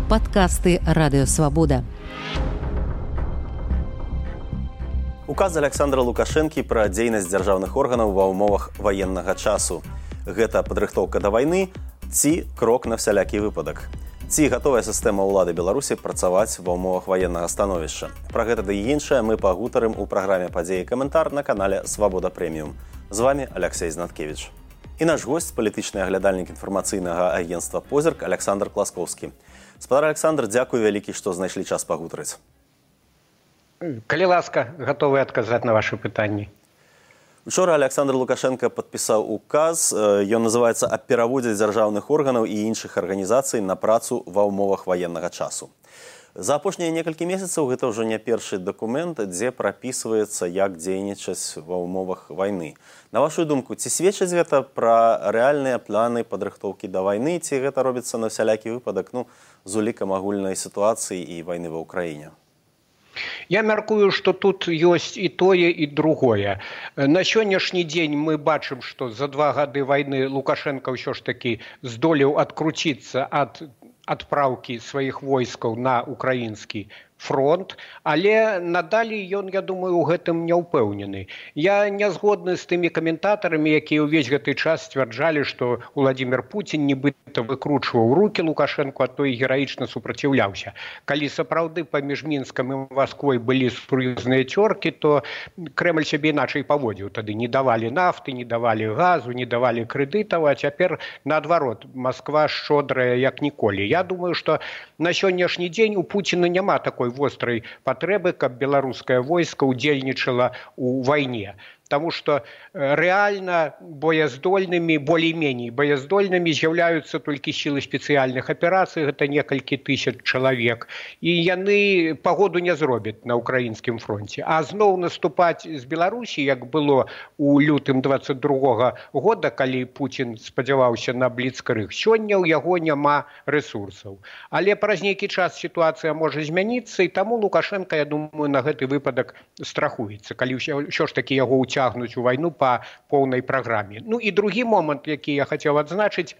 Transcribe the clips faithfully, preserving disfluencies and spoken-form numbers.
Падкасты Радыёвабода. Указ Александра Лукашэнкі пра дзейнасць дзяржаўных органаў ва ўмовах ваеннага часу. Гэта падрыхтоўка да вайны ці крок на всялякі выпадак. Ці гатовая сістэма ўлады Беларусі працаваць ва ўмовах ваеннага становішча. Пра гэта да і іншае мы пагутарым у праграме «Падзеі каментар» на канале «Свабода Прэміум». З вами Алексей Знаткевич. І наш гость, палітычны аглядальнік інфармацыйнага агенцтва «Позірк» Александр Класкоўскі. Спадар Александр, дзякуй вялікі, што знайшлі час пагутарыць. Калі ласка, гатовы адказаць на вашы пытанні. Учора Александр Лукашенко падпісаў указ. Ён называецца «Аб пераводзе дзяржаўных органаў і іншых арганізацый на працу ва ўмовах ваеннага часу». За апошнія некалькі месяцаў гэта ўжо не першы дакумент, дзе прапісваецца, як дзейнічаць ва ўмовах вайны. На вашу думку, ці сведчыць гэта пра рэальныя планы падрыхтоўкі да вайны, ці гэта робіцца на всялякі выпадак, ну, з улікам агульнай сітуацыі і вайны ва ўкраіне? Я мяркую, што тут ёсць і тое, і другое. На сённяшні дзень мы бачым, што за два гады вайны Лукашенко ўсё ж такі здолеў адкруціцца ад адпраўкі сваіх войскаў на украінскі фронт, але надалей ён, я думаю, у гэтым не ўпэўнены. Я не згодны з тымі каментатарамі, якія ўвесь гэты час сцвярджалі, што Уладзімір Пуцін нібыта выкручваў рукі Лукашэнку, а той гераічна супраціўляўся. Калі сапраўды паміж Мінскам і Масквой былі сур'ёзныя цёркі, то Крэмль сябе іначай паводзіў. Тады не давалі нафты, не давалі газу, не давалі крэдытаў, а цяпер наадварот, Масква шчодрая як ніколі. Я думаю, што на сённяшні дзень у Пуціна няма такой вострай патрэбы, каб беларускае войска ўдзельнічала ў вайне. Таму што рэальна бояздольнымі, болей-меней бояздольнымі з'яўляюцца толькі сілы спецыяльных аперацый, гэта некалькі тысяч чалавек, і яны пагоду не зробяць на ўкраінскім фронце. А зноў наступаць з Беларусі, як было ў лютым дваццаць другога года, калі Пуцін спадзяваўся на бліцкрыг, сёння ў яго няма рэсурсаў. Але праз нейкі час сітуацыя можа змяніцца, і таму Лукашенко, я думаю, на гэты выпадак страхуецца, калі ўсё ж такі яго ўцягнуць цягнуць у вайну па поўнай праграме. Ну і другі момант, які я хацеў адзначыць,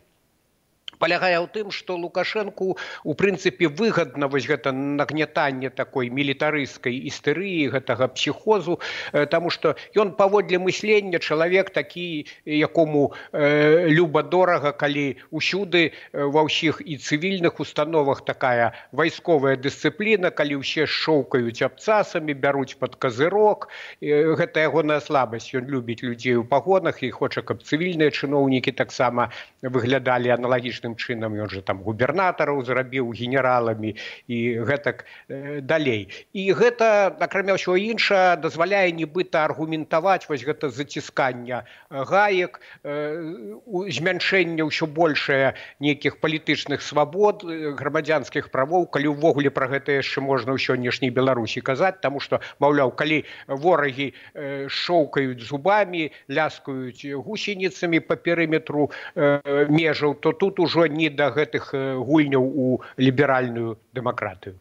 палягае ў тым, што Лукашэнку у прынцыпе выгадна вось гэта нагнятанне такой мілітарысцкай істэрыі, гэтага псіхозу, таму што ён паводле мыслення чалавек такі, якому э, люба-дорага, калі ўсюды ва ўсіх і цывільных установах такая вайсковая дысцыпліна, калі ўсе шоўкаюць абцасамі, бяруць пад казырок, гэта ягоная слабасць, ён любіць людзей у пагонах і хоча, каб цывільныя чыноўнікі таксама выглядалі аналагічна чынам, ён жа там губернатараў зрабіў генераламі і гэтак э, далей. І гэта, акрамя ўсяго іншага, дазваляе нібыта аргументаваць вось гэта заціскання гаек, э, змяншэнне ўсё большае нейкіх палітычных свабод, грамадзянскіх правоў, калі ўвогуле пра гэта яшчэ можна ў сённяшняй Беларусі казаць, таму што, маўляў, калі ворагі э, шоўкаюць зубамі, ляскаюць гусеніцамі па перыметру э, межаў, то тут ужо не да гэтых гульняў у ліберальную дэмакратыю.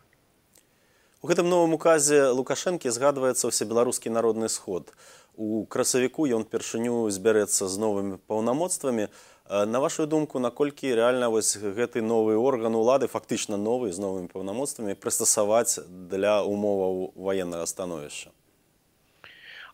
У гэтым новым указе Лукашэнкі згадваецца ўсебеларускі народны сход. У красавіку ён першыню збярэцца з новымі паўнамоцтвамі. На вашу думку, наколькі рэальна вось гэты новы орган улады, фактычна новы, з новымі паўнамоцтвамі, прыстасаваць для умоваў ваеннага становішча?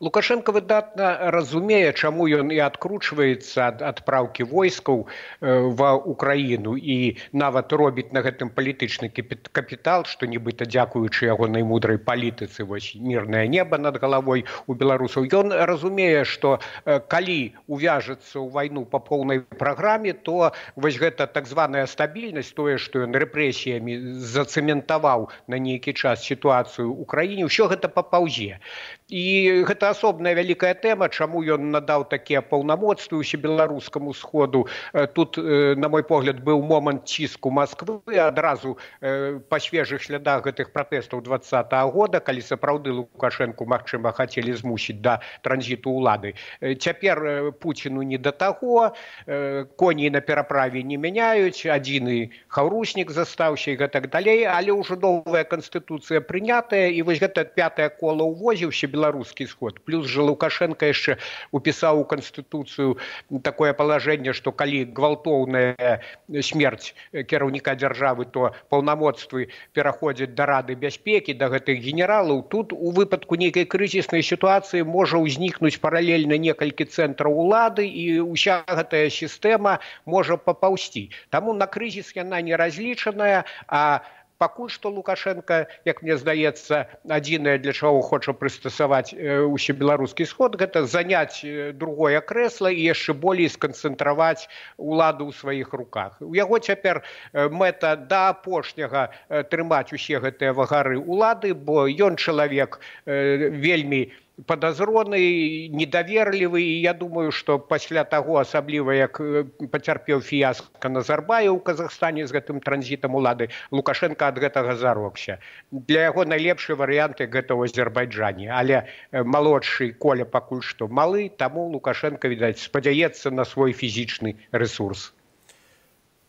Лукашенко выдатна разумее, чаму ён і адкручваецца ад адпраўкі войскаў ва ўкраіну і нават робіць на гэтым палітычны капітал, што нібыта дзякуючы ягонай мудрай палітыцы, вось мірнае неба над галавой у беларусаў. Ён разумее, што калі увяжацца ў вайну па поўнай праграме, то вось гэта так званая стабільнасць, тое, што ён рэпрэсіямі зацэментаваў на нейкі час сітуацыю ў краіне, ўсё гэта папаўзе. І гэта асобная вялікая тэма, чаму ён надаў такія паўнамоцтвы ўсебеларускаму сходу. Тут, на мой погляд, быў момант ціску Масквы адразу па свежых слядах гэтых пратэстаў дваццатага года, калі сапраўды Лукашэнку, магчыма, хацелі змусіць да транзіту ўлады. Цяпер Пуціну не да таго, коней на пераправе не мяняюць, адзіны хаўруснік застаўся і гэтак далей, але ўжо новая канстытуцыя прынятая, і вось гэта пятае кола ўвозе ўсебеларускі сход. год. Плюс же Лукашенко яшчэ упісаў у Канстытуцыю такое палажэнне, што калі гвалтоўная смерць кіраўніка дзяржавы, то паўнамоцтвы пераходзяць да Рады бяспекі, да гэтых генералаў. Тут у выпадку нейкай крызіснай сітуацыі можа ўзнікнуць паралельна некалькі цэнтраў улады, і ўся гэтая сістэма можа папаўсці. Таму на крызіс яна не разлічаная, а пакуль што Лукашенко, як мне здаецца, адзінае, для чаго хоча прыстасаваць усебеларускі сход, гэта заняць другое крэсла і яшчэ болей сканцэнтраваць уладу ў сваіх руках. У яго цяпер мэта да апошняга трымаць усе гэтыя вагары улады, бо ён чалавек вельмі падазроны, недаверлівы, і я думаю, што пасля таго, асабліва як пацярпеў фіяска Назарбаеў у Казахстане з гэтым транзітам улады, Лукашенко ад гэтага зарокся. Для яго найлепшы варыянт гэта ў Азербайджане, але малодшы Коля пакуль што малы, таму Лукашенко, відаць, спадзяецца на свой фізічны рэсурс.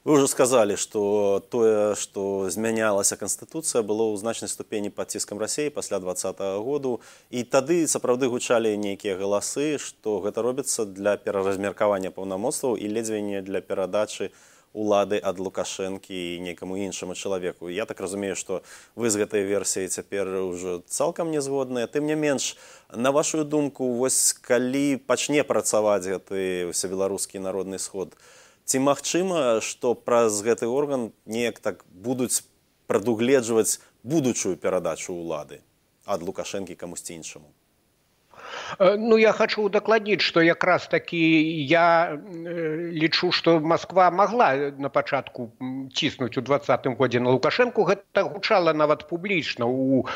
Вы уже сказали, что тое, што змянялася Канстытуцыя, было ў значнай ступені пад ціскам Расіі пасля двадцатага году. І тады сапраўды гучалі нейкія галасы, што гэта робіцца для пераразмеркавання паўнамоцтваў і ледзьве не для перадачы улады ад Лукашэнкі і нейкаму іншаму чалавеку. Я так разумею, што вы з гэтай версіяй цяпер ўжо цалкам не згодныя. Тым не менш, на вашу думку, вось калі пачне працаваць гэты ўсебеларускі народны сход, ці магчыма, што праз гэты орган неяк так будуць прадугледжваць будучую перадачу ўлады ад Лукашэнкі камусьці іншаму? Ну, я хочу удакладніць, што якраз такі я лічу, што Москва могла на пачатку ціснуць у двадцатым годзе на Лукашэнку. Гэта гучала нават публічна у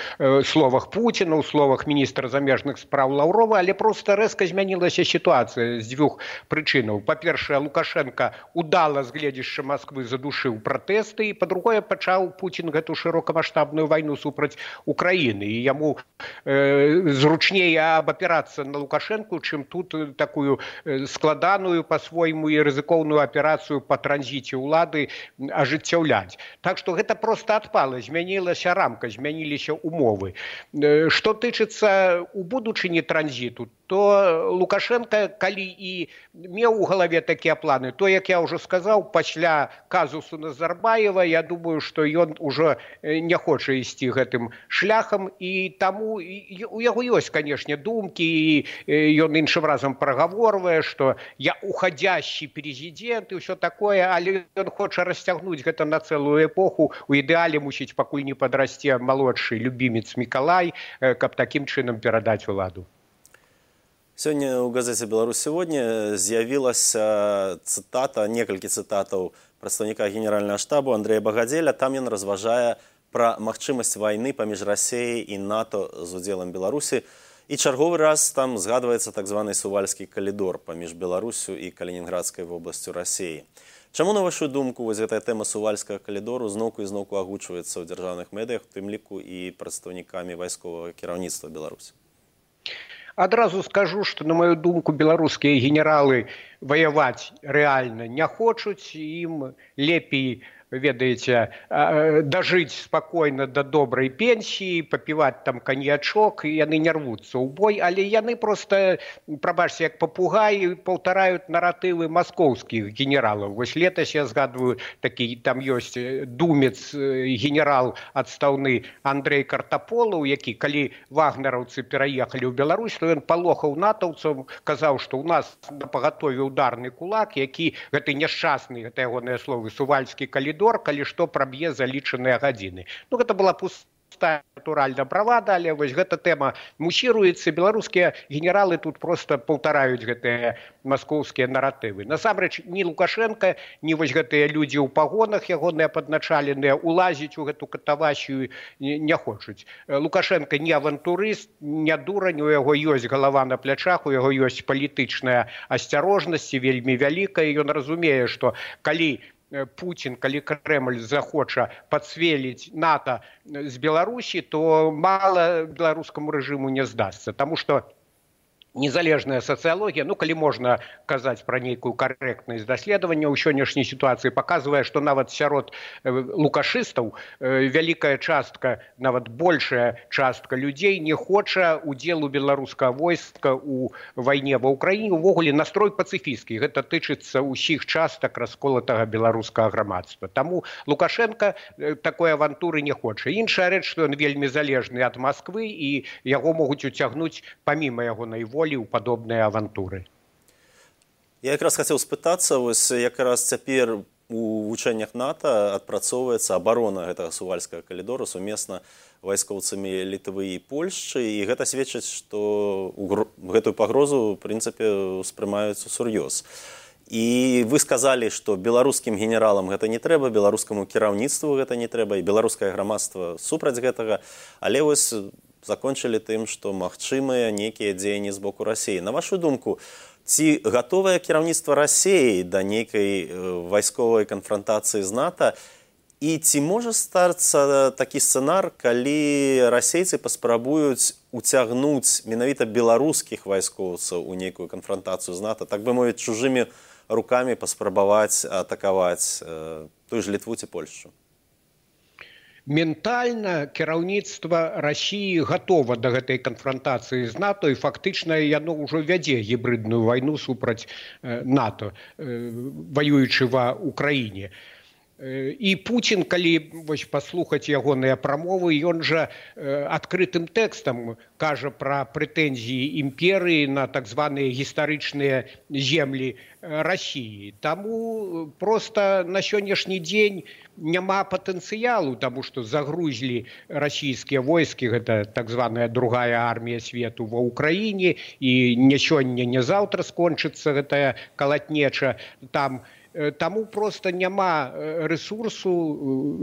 словах Пуціна, у словах міністра замежных спраў Лаўрова, але проста рэзка змянілася сітуацыя з дзвюх прычынаў. Па-першае, Лукашенко удала з гледзяшча Москвы задушыў пратэсты, і па-другое, пачаў Пуцін гэту шырокамаштабную вайну супраць Украіны, і яму э, зручней абапірацца на Лукашенку, чым тут такую складаную па-свойму і рызыкоўную аперацыю па транзіце ўлады ажыццяўляць. Так што гэта проста адпала, змянілася рамка, змяніліся умовы. Што тычыцца у будучыні транзіту, то Лукашенко, калі і меў у галаве такія планы, то, як я ўжо сказаў, пасля казусу Назарбаева, я думаю, што ён ужо не хоча ісці гэтым шляхам, і таму у яго ёсць, канешне, думкі, і ён іншым разам прагаворвае, што я уходящий президент і ўсё такое, але ён хоча расцягнуць гэта на цэлую эпоху. У ідэале мусіць пакуль не падрасце малодшы любімец Мікалай, каб такім чынам перадаць уладу. Сёння ў газеце «Беларусь сегодня» з'явілася цытата, некалькі цытатаў прадстаўніка генеральнага штабу Андрэя Багадзеля. Там ён разважае пра магчымасць вайны паміж Расіяй і НАТО з удзелам Беларусі. І чарговы раз там згадваецца так званы сувальскі калідор паміж Беларусю і Калінінградскай вобласцю Расіі. Чаму, на вашу думку, вось гэтая тэма сувальскага калідору зноўку і зноўку агучваецца ў дзяржаўных медыях, у тым ліку і прадстаўнікамі вайсковага кіраўніцтва Беларусі? Адразу скажу, што, на маю думку, беларускія генералы ваяваць рэальна не хочуць, ім лепей, ведаеце, дажыць спакойна да добрай пенсіі, папіваць там каньячок, і яны не рвуцца ў бой, але яны проста, прабачце, як папугаі, паўтараюць наратывы маскоўскіх генералаў. Вось летась я згадваю, такі там ёсць думец, генерал адстаўны Андрэй Картаполаў, які, калі вагнераўцы пераехалі ў Беларусь, то ён палохаў натаўцаў, казаў, што ў нас на пагатове ударны кулак, які гэты няшчасны, гэта ягоныя словы, сувальскі калідор, калі што праб'е за лічаныя гадзіны. Ну, гэта была пустая натуральна бравада, але вось гэта тэма мусіруецца. Беларускія генералы тут проста паўтараюць гэтыя маскоўскія наратывы. Насамрэч, ні Лукашенко, ні вось гэтыя людзі ў пагонах, ягоныя падначаленыя, улазіць у гэту катавасію не хочуць. Лукашенко не авантурыст, не дурань, у яго ёсць галава на плячах, у яго ёсць палітычная асцярожнасць вельмі вялікая, і ён разумее, што калі Пуцін, калі Крэмль захоча пацвеліць НАТО з Беларусі, то мала беларускаму рэжыму не здасца. Таму што незалежная сацыялогія, ну калі можна казаць пра нейкую карэктнасць даследавання ў сённяшняй сітуацыі, паказвае, што нават сярод лукашыстаў вялікая частка, нават большая частка людзей не хоча удзелу беларускага войска ў вайне ва ўкраіне. Увогуле настрой пацыфісцкі. Гэта тычыцца ўсіх частак расколатага беларускага грамадства. Таму Лукашенко такой авантуры не хоча. Іншая рэч, што ён вельмі залежны ад Масквы і яго могуць уцягнуць паміма ягонай волі у падобныя авантуры. Я якраз хацеў спытацца, вось якраз цяпер у вучэннях НАТО адпрацоўваецца абарона гэтага сувальскага калідора сумесна вайскоўцамі Літвы і Польшчы, і гэта сведчыць, што гэтую пагрозу у прынцыпе ўспрымаюць усур'ёз. І вы сказалі, што беларускім генералам гэта не трэба, беларускаму кіраўніцтву гэта не трэба, і беларускае грамадства супраць гэтага, але вось закончылі тым, што магчымыя нейкія дзеянні з боку Расіі. На вашу думку, ці гатовае кіраўніцтва Расіі да нейкай вайсковай канфрантацыі з НАТО, і ці можа стацца такі сцэнар, калі расейцы паспрабуюць уцягнуць менавіта беларускіх вайскоўцаў у нейкую канфрантацыю з НАТО, так бы мовіць, чужымі рукамі паспрабаваць атакаваць тую ж Літву ці Польшчу? Ментальна кіраўніцтва Расіі гатова да гэтай канфрантацыі з НАТО, і фактычна яно ўжо вядзе гібридную вайну супраць НАТО, ваюючы ва Украіне. І Путін, калі вось паслухаць ягоныя прамовы, ён жа адкрытым тэкстам кажа пра прэтэнзіі імперыі на так званыя гістарычныя землі Расіі. Таму проста на сённяшні дзень няма патэнцыялу, таму што загрузілі расійскія войскі, гэта так званая другая армія свету ва Ўкраіне, і не сёння, не заўтра скончыцца гэтая калатнеча там. Таму проста няма рэсурсу,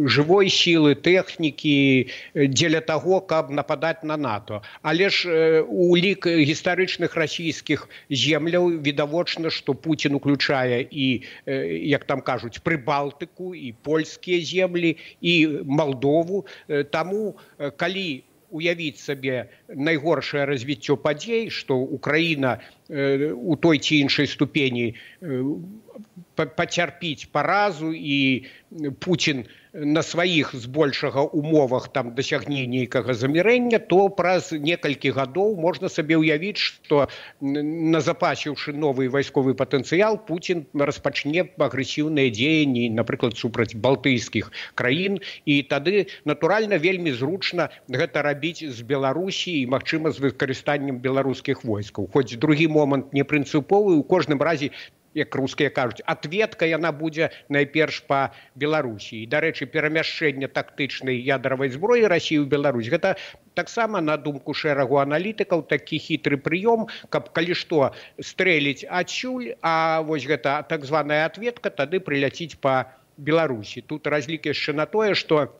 жывой сілы, тэхнікі дзеля таго, каб нападаць на НАТО. Але ж у лік гістарычных расійскіх земляў відавочна, што Пуцін уключае і, як там кажуць, Прыбалтыку, і польскія землі, і Малдову. Таму, калі уявіць сабе найгоршае развіццё падзей, што Украіна у той ці іншай ступені пацярпіць паразу, і Пуцін на сваіх збольшага умовах там дасягне нейкага замірэння, то праз некалькі гадоў можна сабе ўявіць, што назапасіўшы новы вайсковы патэнцыял, Пуцін распачне агрэсіўныя дзеянні, напрыклад, супраць балтыйскіх краін, і тады, натуральна, вельмі зручна гэта рабіць з Беларусі і, магчыма, з выкарыстаннем беларускіх войскаў. Хоць другі момант не прынцыповы, у кожным разе, як рускія кажуць, ответка яна будзе найперш па Беларусі. І, дарэчы, перамяшчэнне тактычнай ядравай зброі Расіі ў Беларусь, гэта таксама, на думку шэрагу аналітыкаў, такі хітры прыём, каб калі што стрэліць адсюль, а вось гэта так званая ответка тады прыляціць па Беларусі. Тут разлік яшчэ на тое, што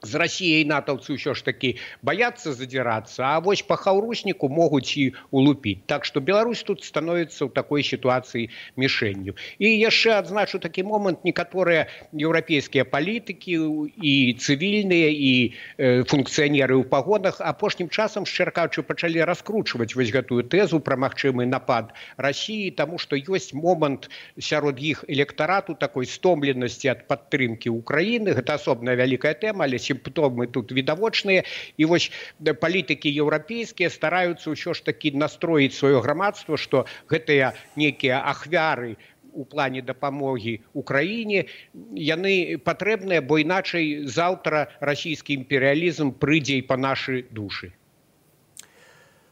з Расіяй натаўцы ўсё ж такі баяцца задзірацца, а вось па хаўрусніку могуць і улупіць. Так што Беларусь тут становіцца ў такой сітуацыі мішэнню. І яшчэ адзначу такі момант, некаторыя еўрапейскія палітыкі і цывільныя, і э, функцыянеры ў пагонах апошнім часам, шчыра кажучы, пачалі раскручваць вось гэтую тэзу пра магчымы напад Расіі, таму што ёсць момант сярод іх электарату такой стомленасці ад падтрымкі Украіны. Гэта асобная вялікая тэма, але сімптомы тут відавочныя, і вось палітыкі еўрапейскія стараюцца ўсё ж такі настроіць сваё грамадства, што гэтыя нейкія ахвяры у плане дапамогі Украіне, яны патрэбныя, бо іначай заўтра расійскі імперыялізм прыйдзе і па нашы душы.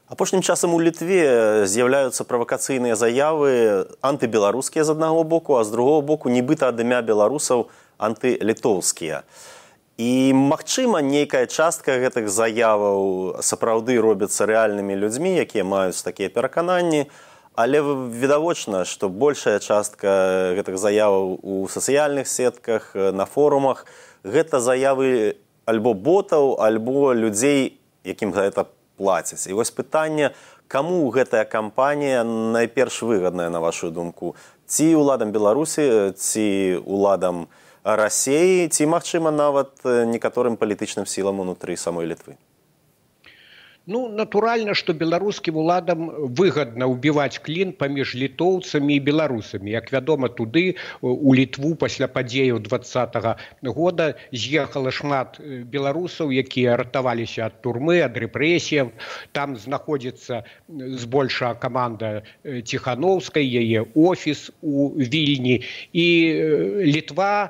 Апошнім часам у Літве з'яўляюцца правакацыйныя заявы антыбеларускія з аднаго боку, а з другого боку нібыта ад імя беларусаў антылітоўскія. І, магчыма, нейкая частка гэтых заяваў сапраўды робяцца рэальнымі людзьмі, якія маюць такія перакананні, але відавочна, што большая частка гэтых заяваў у сацыяльных сетках, на форумах, гэта заявы альбо ботаў, альбо людзей, якім гэта плацяць. І вось пытанне, каму гэтая кампанія найперш выгадная, на вашу думку? Ці ўладам Беларусі, ці ўладам Расіі, ці, магчыма, нават некаторым палітычным сілам унутры самой Літвы? Ну, натуральна, што беларускім уладам выгадна ўбіваць клін паміж літоўцамі і беларусамі. Як вядома, туды у Літву пасля падзеяў двадцатага года з'ехала шмат беларусаў, якія ратаваліся ад турмы, ад рэпрэсіяў. Там знаходзіцца збольшая каманда Ціханаўскай, яе офіс у Вільні. І Літва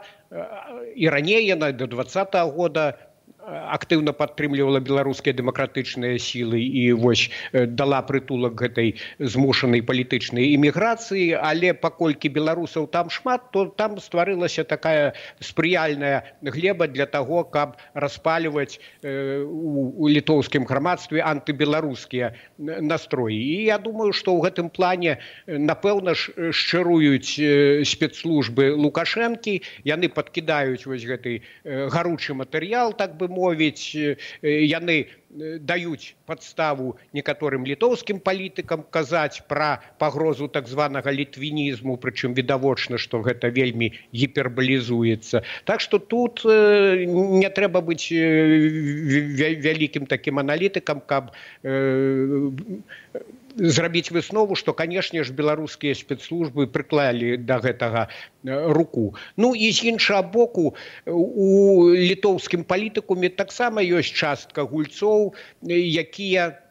і раней яна да двадцатага года актыўна падтрымлівала беларускія дэмакратычныя сілы і вось дала прытулак гэтай змушанай палітычнай іміграцыі, але паколькі беларусаў там шмат, то там стварылася такая спрыяльная глеба для таго, каб распальваць у літоўскім грамадстве антыбеларускія настроі. І я думаю, што ў гэтым плане, напэўна ж, шчыруюць спецслужбы Лукашэнкі, яны падкідаюць вось гэты гаручы матэрыял, так бы мовіць, яны даюць падставу некаторым літоўскім палітыкам казаць пра пагрозу так званага літвінізму, прычым відавочна, што гэта вельмі гіпербалізуецца. Так што тут не трэба быць вялікім такім аналітыкам, каб зрабіць выснову, што, канешне ж, беларускія спецслужбы прыклалі да гэтага руку. Ну і з іншага боку, у літоўскім палітыкуме таксама ёсць частка гульцоў, якія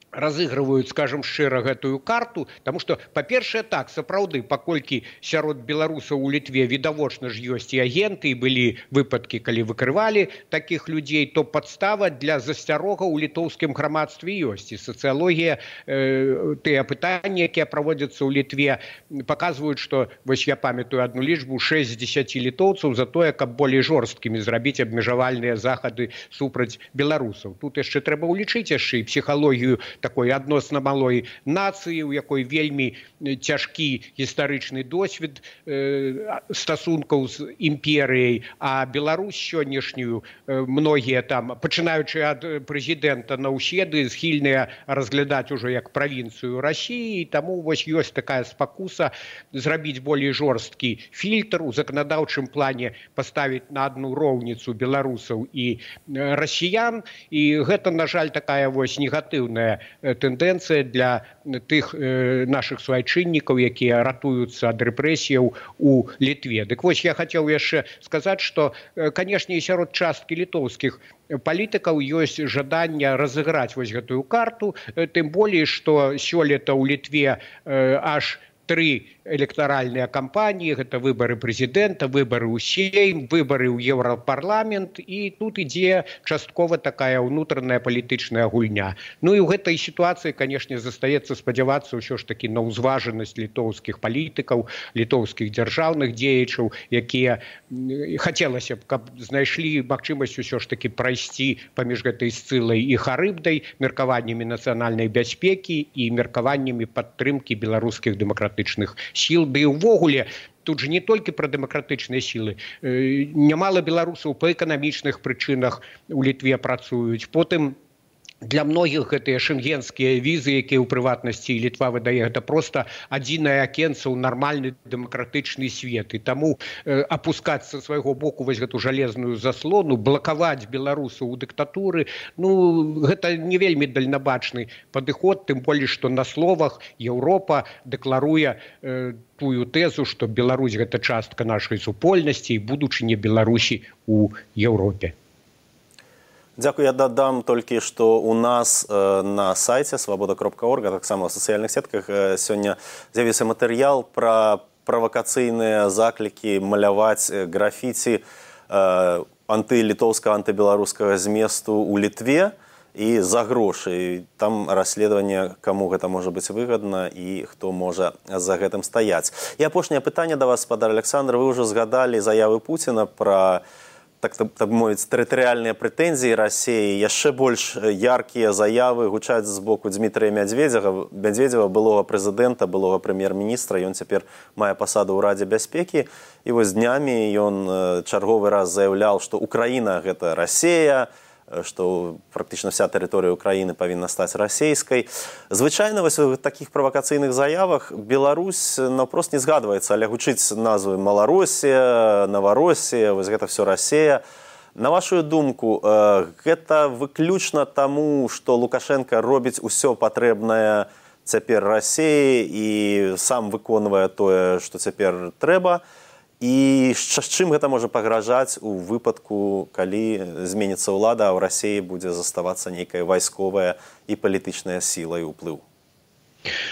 разыгрываюць, скажем шчыра, гэтую карту, таму што, па-першае, так, сапраўды, паколькі сярод беларусаў у Літве відавочна ж ёсць і агенты, і былі выпадкі, калі выкрывалі такіх людзей, то падстава для засцярога ў літоўскім грамадстве ёсць. І сацыялогія, э, тыя пытанні, якія праводзяцца ў Літве, паказваюць, што, вось я памятаю адну лічбу, шэсць з дзесяці літоўцаў за тое, каб болей жорсткімі зрабіць абмежавальныя захады супраць беларусаў. Тут яшчэ трэба ўлічыць яшчэ і псіхалогію такой адносна малой нацыі, у якой вельмі цяжкі гістарычны досвед э, стасункаў з імперыяй, а Беларусь сённяшнюю э, многія там, пачынаючы ад прэзідэнта Наўседы, схільныя разглядаць ужо як правінцыю Расіі, таму вось ёсць такая спакуса зрабіць болей жорсткі фільтр, у заканадаўчым плане паставіць на адну роўніцу беларусаў і расіян, і гэта, на жаль, такая вось негатыўная тэндэнцыя для тых э, нашых суайчыннікаў, якія ратуюцца ад рэпрэсіяў у Літве. Дык вось я хацеў яшчэ сказаць, што, э, канешне, і сярод часткі літоўскіх палітыкаў ёсць жаданне разыграць вось гэтую карту, э, тым болей, што сёлета ў Літве э, аж тры электаральныя кампаніі, гэта выбары прэзідэнта, выбары ў Сейм, выбары ў Еўрапарламент, і тут ідзе часткова такая ўнутраная палітычная гульня. Ну і ў гэтай сітуацыі, канешне, застаецца спадзявацца ўсё ж такі на ўзважанасць літоўскіх палітыкаў, літоўскіх дзяржаўных дзеячаў, якія хацелася б, каб знайшлі магчымасць усё ж такі прайсці паміж гэтай Сцылай і Харыбдай меркаваннямі нацыянальнай бяспекі і меркаваннямі падтрымкі беларускіх дэмакратычных сіл, ды і ўвогуле тут же не толькі пра дэмакратычныя сілы. Нямала беларусаў па эканамічных прычынах у Літве працуюць. Потым для многіх гэтыя шэнгенскія візы, якія ў прыватнасці Літва выдае, гэта проста адзінае акенца ў нармальны дэмакратычны свет. І таму э, апускаць са свайго боку вось гэту жалезную заслону, блакаваць беларусаў у дыктатуры, ну, гэта не вельмі дальнабачны падыход, тым болей, што на словах Еўропа дэкларуе э, тую тэзу, што Беларусь гэта частка нашай супольнасці і будучыня Беларусі у Еўропе. Дзякую, я дадам толькі, што у нас э, на сайце свабода кропка орг, а таксама ў сацыяльных сетках э, сёння з'явіўся матэрыял пра правакацыйныя заклікі маляваць графіці э, антылітоўскага, антыбеларускага зместу ў Літве і за грошы. Там расследаванне, каму гэта можа быць выгадна і хто можа за гэтым стаяць. І апошняе пытанне да вас, спадар Александр, вы ўжо згадалі заявы Пуціна пра так, так, так мовіць, тэрытарыяльныя прэтэнзіі Расіі, яшчэ больш яркія заявы гучаць з боку Дмітрыя Мядзведзева, Мядзведзева, былога прэзідэнта, былога прэм'ер-міністра, ён цяпер мае пасаду ў Радзе бяспекі, і вось днямі ён чарговы раз заяўляў, што Украіна гэта Расія, што практычна вся тэрыторыя Украіны павінна стаць расейскай. Звычайна вось у такіх правакацыйных заявах Беларусь наўпрост не згадваецца, але гучыць назвы Маларосія, Наваросія, вось гэта все Расія. На вашу думку, гэта выключна таму, што Лукашенко робіць усё патрэбнае цяпер Расіі і сам выконвае тое, што цяпер трэба, і з чым гэта можа пагражаць у выпадку, калі зменіцца ўлада, а ў Расіі будзе заставацца нейкая вайсковая і палітычная сіла і ўплыў?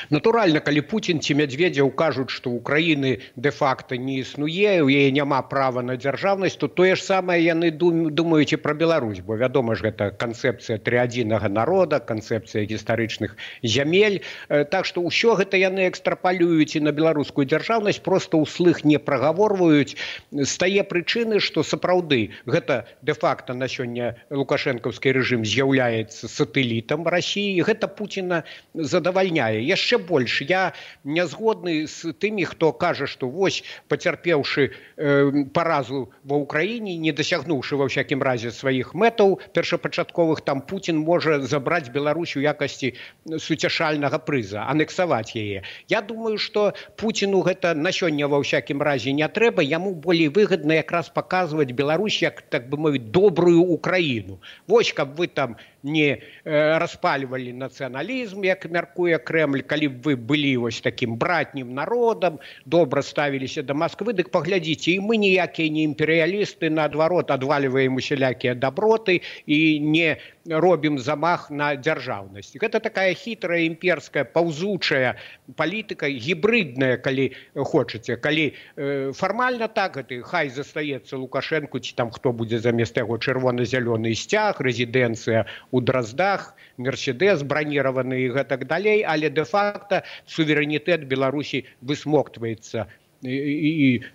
Натуральна, калі Пуцін ці Мядзведзеў кажуць, што ўкраіны дэ-факта не існуе, у яе няма права на дзяржаўнасць, то тое ж самае яны думаюць і пра Беларусь, бо вядома ж, гэта канцэпцыя трыадзінага народа, канцэпцыя гістарычных зямель. Так што ўсё гэта яны экстрапалююць і на беларускую дзяржаўнасць, проста ўслых не прагаворваюць з тае прычыны, што сапраўды гэта дэ-факта на сёння лукашэнкаўскі рэжым з'яўляецца сатэлітам Расіі, і гэта Пуціна задавальняе. Яшчэ больш, я не згодны з тымі, хто кажа, што вось, пацярпеўшы э, паразу ва ўкраіне, не дасягнуўшы ва ўсякім разе сваіх мэтаў першапачатковых, там Пуцін можа забраць Беларусь у якасці суцяшальнага прыза, анексаваць яе. Я думаю, што Пуціну гэта на сёння ва ўсякім разе не трэба, яму болей выгадна якраз паказваць Беларусь як, так бы мовіць, добрую Украіну. Вось, каб вы там не э, распальвалі нацыяналізм, як мяркуе Крэмль, калі б вы былі вось такім братнім народам, добра ставіліся да Масквы, дык паглядзіце, і мы ніякія не імперыялісты, наадварот, адвальваем усялякія даброты і не робім замах на дзяржаўнасць. Гэта такая хітрая, імперская, паўзучая палітыка, гібридная, калі хочаце. Калі э, фармальна так, гэта хай застаецца Лукашэнку, ці там хто будзе замест яго чырвона-зялёны сцяг, рэзідэнцыя у Драздах, Мерседес браніраваны і гэтак далей, але дэ-факта суверэнітэт Беларусі высмоктваецца. І, і,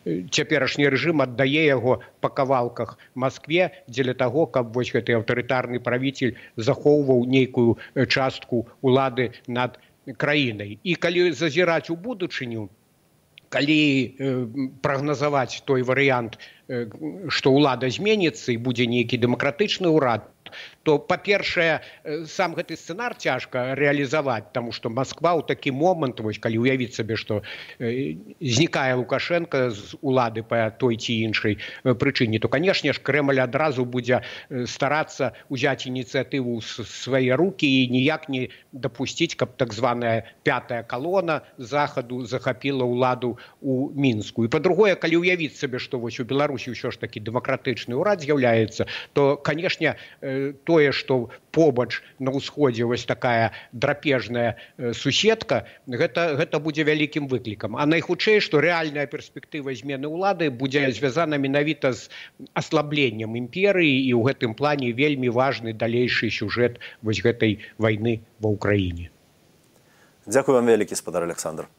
і цяперашні рэжым аддае яго па кавалках Маскве дзеля таго, каб вось гэты аўтарытарны правіцель захоўваў нейкую частку улады над краінай. І калі зазіраць у будучыню, калі э, прагназаваць той варыянт, э, што ўлада зменіцца і будзе нейкі дэмакратычны ўрад, то, па-першае, сам гэты сцэнар цяжка рэалізаваць, таму што Масква ў такі момант, вось калі ўявіць сабе, што э, знікае Лукашенко з улады па той ці іншай э, прычыне, то, канешне ж, Крэмль адразу будзе э, старацца ўзяць ініцыятыву ў свае рукі і ніяк не дапусціць, каб так званая пятая калона захаду захапіла ўладу ў Мінску. І па-другое, калі ўявіць сабе, што вось у Беларусі ўсё ж такі дэмакратычны ўрад з'яўляецца, то, канешне, э, тое, што побач на ўсходзе вось такая драпежная суседка, гэта, гэта будзе вялікім выклікам. А найхутчэй, што рэальная перспектыва змены ўлады будзе звязана менавіта з аслабленнем імперыі, і ў гэтым плане вельмі важны далейшы сюжэт вось гэтай вайны ва ўкраіне. Дзякую вам вялікі, спадар Александр.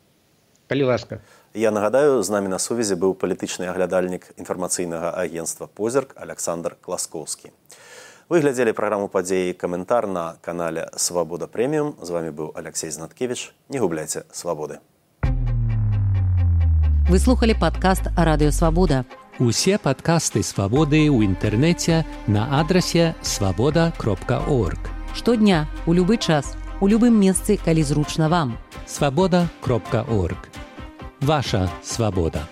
Калі ласка. Я нагадаю, з намі на сувязі быў палітычны аглядальнік інфармацыйнага агенцтва «Позірк» Александр Класкоўскі. Вы глядзелі праграму «Падзеі і каментар» на канале «Свабода Прэміум». З вами быў Алексей Знаткевич. Не губляйце свабоды. Вы слухали падкаст «Радыё Свабода». Усе падкасты «Свабоды» ў інтэрнэце на адрасе свабода кропка орг. Штодня, у любы час, у любым месцы, калі зручна вам. свабода кропка орг. Ваша свабода.